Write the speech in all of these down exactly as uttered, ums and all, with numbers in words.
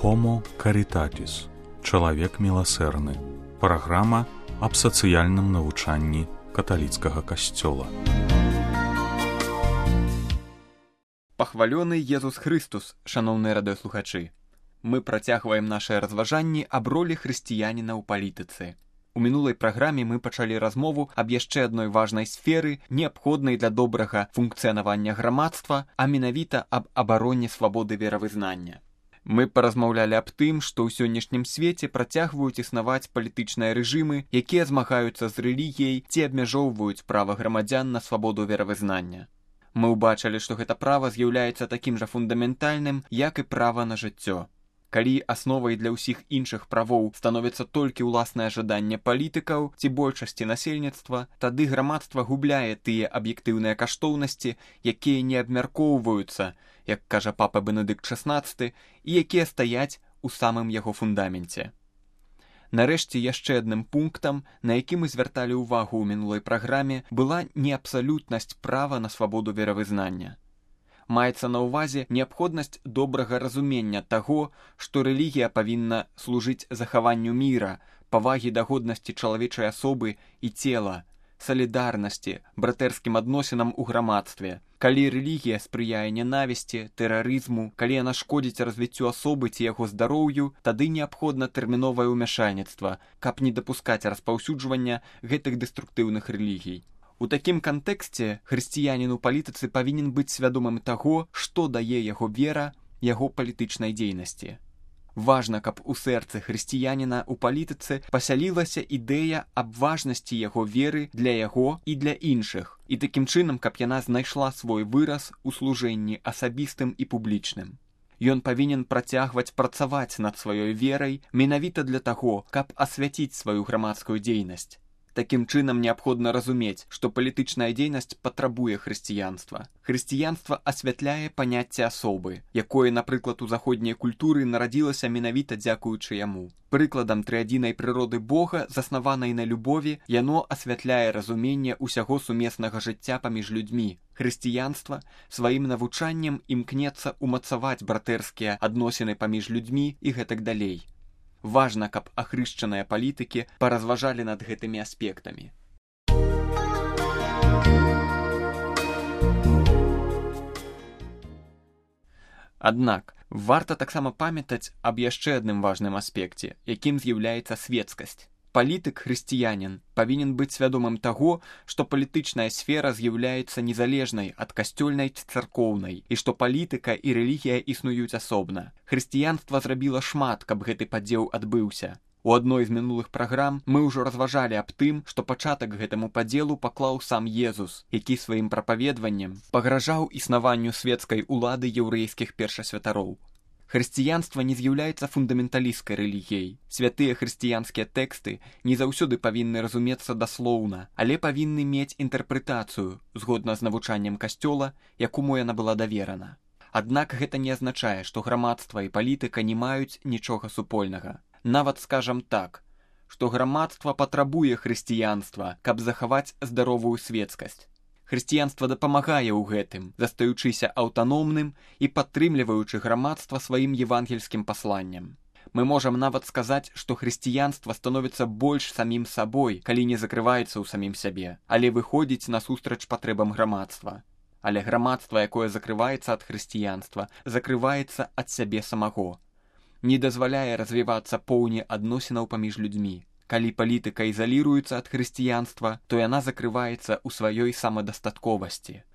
Homo Caritatis. Чалавек міласэрны. Праграма аб сацыяльным навучанні каталіцкага касцёла. Пахвалёны Езус Хрыстус, шаноўныя радыёслухачы. Мы працягваем нашыя разважанні аб ролі хрысціяніна ў палітыцы. У мінулай праграме мы пачалі размову аб яшчэ адной важнай сферы, неабходнай для добрага функцыянавання грамадства, а менавіта аб абароне свабоды веравызнання. Мы паразмаўлялі аб тым, што ў сённяшнім свеце працягваюць існаваць палітычныя рэжымы, якія змагаюцца з рэлігіяй ці абмяжоўваюць права грамадзян на свабоду веравызнання. Мы ўбачылі, што гэта права з'яўляецца такім жа фундаментальным, як і права на жыццё. Калі асновай для ўсіх іншых правоў становіцца толькі ўласнае жаданне палітыкаў ці большасці насельніцтва, тады грамадства губляе тыя аб'ектыўныя каштоўнасці, якія не абмяркоўваюцца, як кажа папа Бенедыкт шаснаццаты, і якія стаяць у самым яго фундаменце. Нарэшце, яшчэ адным пунктам, на які мы звярталі ўвагу ў мінулай праграме, была неабсалютнасць права на свабоду веравызнання. Маецца на ўвазе неабходнасць добрага разумення таго, што рэлігія павінна служыць захаванню міра, павагі да годнасці чалавечай асобы і цела, салідарнасці, братэрскім адносінам у грамадстве. Калі рэлігія спрыяе ненавісці, тэрарызму, калі яна шкодзіць развіццю асобы ці яго здароўю, тады неабходна тэрміновае ўмяшальніцтва, каб не дапускаць распаўсюджвання гэтых дэструктыўных рэлігій. У такім кантэксце хрысціянін у палітыцы павінен быць свядомым таго, што дае яго вера яго палітычнай дзейнасці. Важна, каб у сэрцы хрысціяніна ў палітыцы пасялілася ідэя аб важнасці яго веры для яго і для іншых, і такім чынам, каб яна знайшла свой выраз у служэнні асабістым і публічным. Ён павінен працягваць працаваць над сваёй верай менавіта для таго, каб асвяціць сваю грамадскую дзейнасць. Такім чынам неабходна разумець, што палітычная дзейнасць патрабуе хрысціянства. Хрысціянства асвятляе паняцце асобы, якое, напрыклад, у заходняй культуры нарадзілася менавіта дзякуючы яму. Прыкладам трыадзінай прыроды Бога, заснаванай на любові, яно асвятляе разуменне ўсяго сумеснага жыцця паміж людзьмі. Хрысціянства сваім навучаннем імкнецца ўмацаваць братэрскія адносіны паміж людзьмі і гэтак далей. Важна, каб ахрышчаныя палітыкі паразважалі над гэтымі аспектамі. Аднак, варта таксама памятаць аб яшчэ адным важным аспекце, якім з'яўляецца светскасць. Палітык-хрысціянін павінен быць свядомым таго, што палітычная сфера з'яўляецца незалежнай ад касцёльнай ці царкоўнай, і што палітыка і рэлігія існуюць асобна. Хрысціянства зрабіла шмат, каб гэты падзел адбыўся. У адной з мінулых праграм мы ўжо разважалі аб тым, што пачатак гэтаму падзелу паклаў сам Езус, які сваім прапаведваннем пагражаў існаванню свецкай улады яўрэйскіх першасвятароў. Хрысціянства не з'яўляецца фундаменталісцкай рэлігіяй. Святыя хрысціянскія тэксты не заўсёды павінны разумецца даслоўна, але павінны мець інтэрпрэтацыю, згодна з навучаннем касцёла, якому яна была даверана. Аднак гэта не азначае, што грамадства і палітыка не маюць нічога супольнага. Нават скажам так, што грамадства патрабуе хрысціянства, каб захаваць здаровую светскасць. Хрысціянства дапамагае ў гэтым, застаючыся аўтаномным і падтрымліваючы грамадства сваім евангельскім пасланнем. Мы можам нават сказаць, што хрысціянства становіцца больш самім сабой, калі не закрываецца ў самім сябе, але выходзіць насустрач патрэбам грамадства. Але грамадства, якое закрываецца ад хрысціянства, закрываецца ад сябе самого. Не дазваляе развівацца поўні адносінаў паміж людзьмі. Калі палітыка ізаліруецца ад хрысціянства, то яна закрываецца ў сваёй самадастатковасці.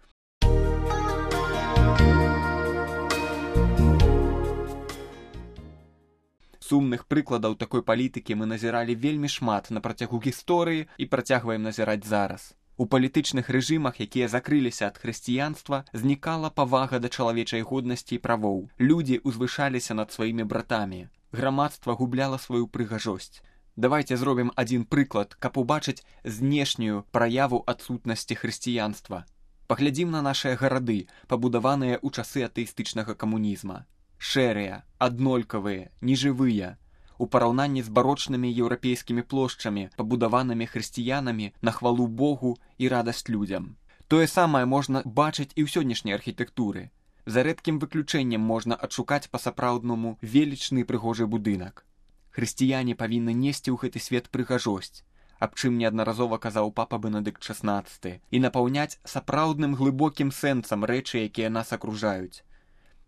Сумных прыкладаў такой палітыкі мы назіралі вельмі шмат на працягу гісторыі і працягваем назіраць зараз. У палітычных рэжымах, якія закрыліся ад хрысціянства, знікала павага да чалавечай годнасці і правоў. Людзі узвышаліся над сваімі братамі. Грамадства губляла сваю прыгажосць. Давайце зробім адзін прыклад, каб убачыць знешнюю праяву адсутнасці хрысціянства. Паглядзім на нашыя гарады, пабудаваныя ў часы атэістычнага камунізма. Шэрыя, аднолькавыя, нежывыя. У параўнанні з барочнымі еўрапейскімі плошчамі, пабудаванымі хрысціянамі на хвалу Богу і радасць людзям. Тое самае можна бачыць і ў сённяшняй архітэктуры. За рэдкім выключэннем можна адшукаць па-сапраўднаму велічны прыгожы будынак. Хрысціяне павінны несці ў гэты свет прыгажосць, аб чым неаднаразова казаў папа Бенедыкт шаснаццаты, і напаўняць сапраўдным глыбокім сэнсам рэчы, якія нас акружаюць.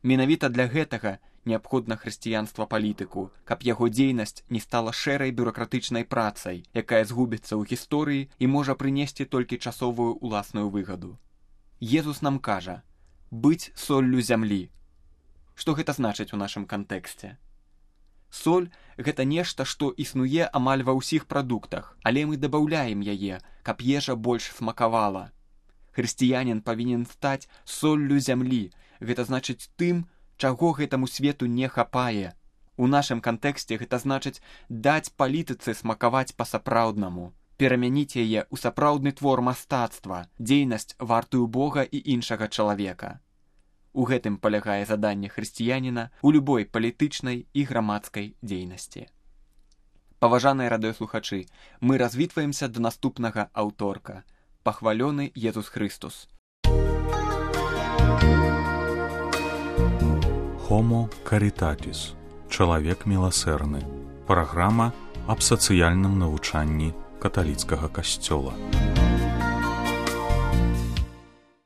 Менавіта для гэтага неабходна хрысціянства палітыку, каб яго дзейнасць не стала шэрай бюракратычнай працай, якая згубіцца ў гісторыі і можа прынесці толькі часовую уласную выгаду. Езус нам кажа: быць соллю зямлі. Што гэта значыць у нашым кантэксце? Соль – гэта нешта, што існуе амаль ва ўсіх прадуктах, але мы дабаўляем яе, каб ежа больш смакавала. Хрысціянін павінен стаць соллю зямлі, гэта значыць тым, чаго гэтаму свету не хапае. У нашым кантэксце гэта значыць даць палітыцы смакаваць па-сапраўднаму, перамяніць яе ў сапраўдны твор мастацтва, дзейнасць вартую Бога і іншага чалавека. У гэтым палягае заданне хрысціяніна ў любой палітычнай і грамадскай дзейнасці. Паважаныя радыёслухачы, мы развітваемся да наступнага аўторка. Пахвалёны Езус Хрыстус. Homo Caritatis. Чалавек міласэрны. Праграма аб сацыяльным навучанні каталіцкага касцёла.